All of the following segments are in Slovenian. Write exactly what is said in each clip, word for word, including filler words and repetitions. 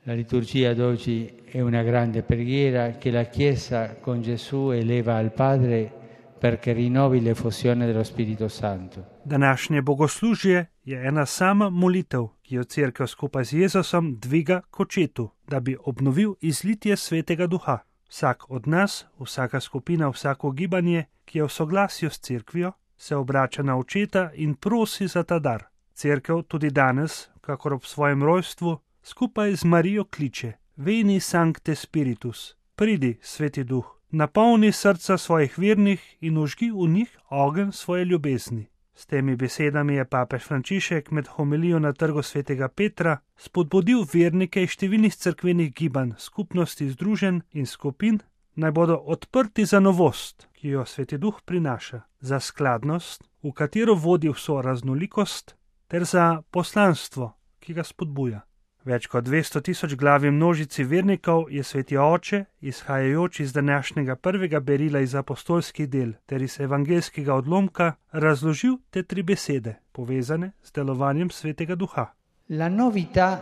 La liturgia d'oggi è una grande preghiera che la Chiesa con Gesù eleva al Padre perché rinnovi l'effusione dello Spirito Santo. Današnje bogoslužje je ena sama molitev, ki jo Cerkev skupaj z Jezusom dviga k očetu, da bi obnovil izlitje Svetega Duha. Vsak od nas, vsaka skupina, vsako gibanje, ki je v soglasju s Cerkvijo, se obrača na očeta in prosi za ta dar. Cerkev tudi danes, kakor ob svojem rojstvu, skupaj z Marijo kliče: Veni Sancte Spiritus, pridi, Sveti Duh, napolni srca svojih vernih in vžgi v njih ogenj svoje ljubezni. S temi besedami je papež Frančišek med homilijo na trgu Svetega Petra spodbudil vernike iz številnih cerkvenih gibanj, skupnosti, združenj in skupin, naj bodo odprti za novost, ki jo Sveti Duh prinaša, za skladnost, v katero vodi vso raznolikost, ter za poslanstvo, ki ga spodbuja. Več kot dvesto tisoč glavi množici vernikov je Sveti Oče, izhajajoč iz današnjega prvega berila iz apostolskih del ter iz evangeljskega odlomka, razložil te tri besede, povezane z delovanjem Svetega Duha. La novità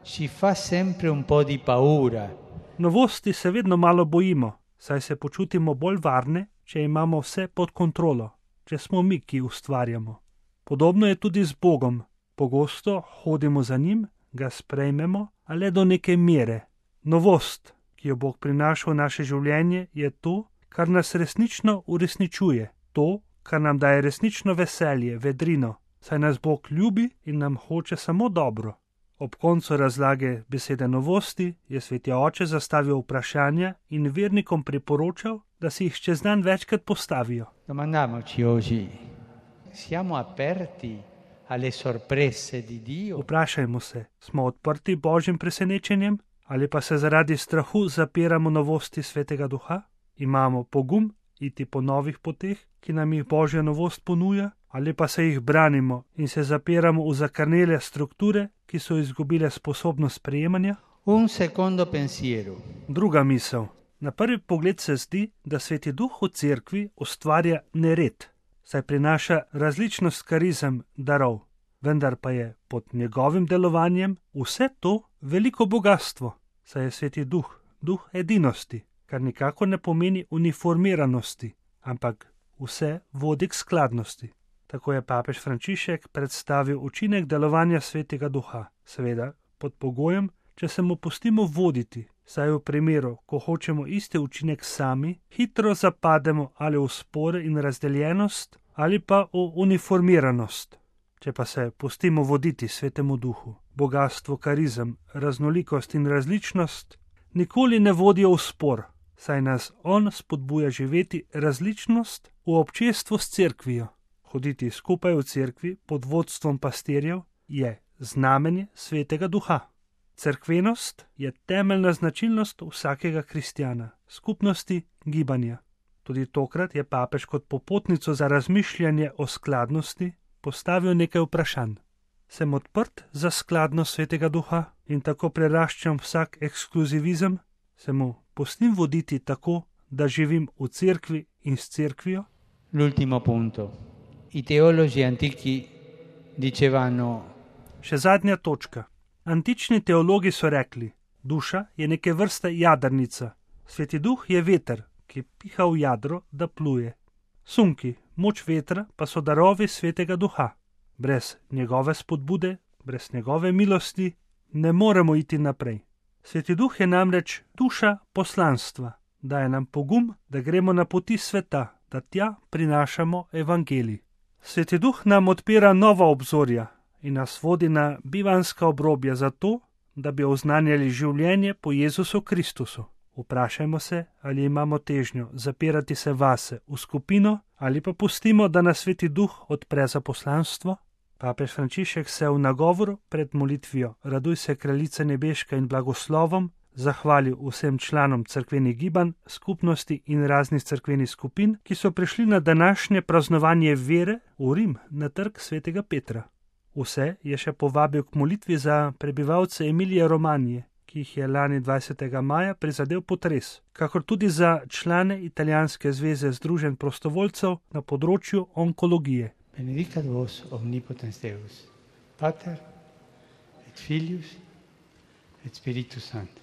ci fa sempre un po' di paura. Novosti se vedno malo bojimo, saj se počutimo bolj varne, če imamo vse pod kontrolo, če smo mi, ki ustvarjamo. Podobno je tudi z Bogom. Pogosto hodimo za njim, ga sprejmemo, a le do neke mere. Novost, ki jo Bog prinaša v naše življenje, je to, kar nas resnično uresničuje, to, kar nam daje resnično veselje, vedrino, saj nas Bog ljubi in nam hoče samo dobro. Ob koncu razlage besede novosti je Sveti Oče zastavil vprašanja in vernikom priporočal, da si jih čez dan večkrat postavijo. Domandiamoci oggi, siamo aperti alle sorprese di Dio? Vprašajmo se, smo odprti Božjim presenečenjem ali pa se zaradi strahu zapiramo novosti Svetega Duha? Imamo pogum iti po novih poteh, ki nam jih Božja novost ponuja, ali pa se jih branimo in se zapiramo v zakrnele strukture, ki so izgubile sposobnost sprejemanja? Un secondo pensiero. Druga misel. Na prvi pogled se zdi, da Sveti Duh v Cerkvi ustvarja nered, saj prinaša različnost karizem, darov, vendar pa je pod njegovim delovanjem vse to veliko bogastvo, saj je Sveti Duh, duh edinosti, kar nikako ne pomeni uniformiranosti, ampak vse vodi k skladnosti. Tako je papež Frančišek predstavil učinek delovanja Svetega Duha, seveda pod pogojem, če se mu pustimo voditi, saj v primeru, ko hočemo isti učinek sami, hitro zapademo ali v spore in razdeljenost, ali pa v uniformiranost. Če pa se pustimo voditi Svetemu Duhu, bogastvo, karizem, raznolikost in različnost nikoli ne vodijo v spor, saj nas on spodbuja živeti različnost v občestvu s Cerkvijo. Hoditi skupaj v Cerkvi pod vodstvom pastirjev je znamenje Svetega Duha. Cerkvenost je temeljna značilnost vsakega kristjana, skupnosti, gibanja. Tudi tokrat je papež kot popotnico za razmišljanje o skladnosti postavil nekaj vprašanj. Sem odprt za skladnost Svetega Duha in tako preraščam vsak ekskluzivizem? Se mu pustim voditi tako, da živim v Cerkvi in s Cerkvijo? L'ultimo punto. I teologi antichi dicevano. Še zadnja točka. Antični teologi so rekli, duša je neke vrste jadrnica, Sveti Duh je veter, ki piha v jadro, da pluje. Sunki, moč vetra, pa so darovi Svetega Duha. Brez njegove spodbude, brez njegove milosti ne moremo iti naprej. Sveti Duh je namreč duša poslanstva, daje nam pogum, da gremo na poti sveta, da tja prinašamo evangelij. Sveti Duh nam odpira nova obzorja in nas vodi na bivanska obrobja zato, da bi oznanjali življenje po Jezusu Kristusu. Vprašajmo se, ali imamo težnjo zapirati se vase v skupino ali pa pustimo, da nas Sveti Duh odpre za poslanstvo. Papež Frančišek se v nagovoru pred molitvijo Raduj se, Kraljica nebeška in blagoslovom zahvalil vsem članom cerkvenih gibanj, skupnosti in raznih cerkvenih skupin, ki so prišli na današnje praznovanje vere v Rim na trg Svetega Petra. Vse je še povabil k molitvi za prebivalce Emilije Romanije, ki jih je lani dvajsetega maja prizadel potres, kakor tudi za člane Italijanske zveze združenj prostovoljcev na področju onkologije. Benedicat vos omnipotens Deus, Pater et Filius et Spiritus Sancto.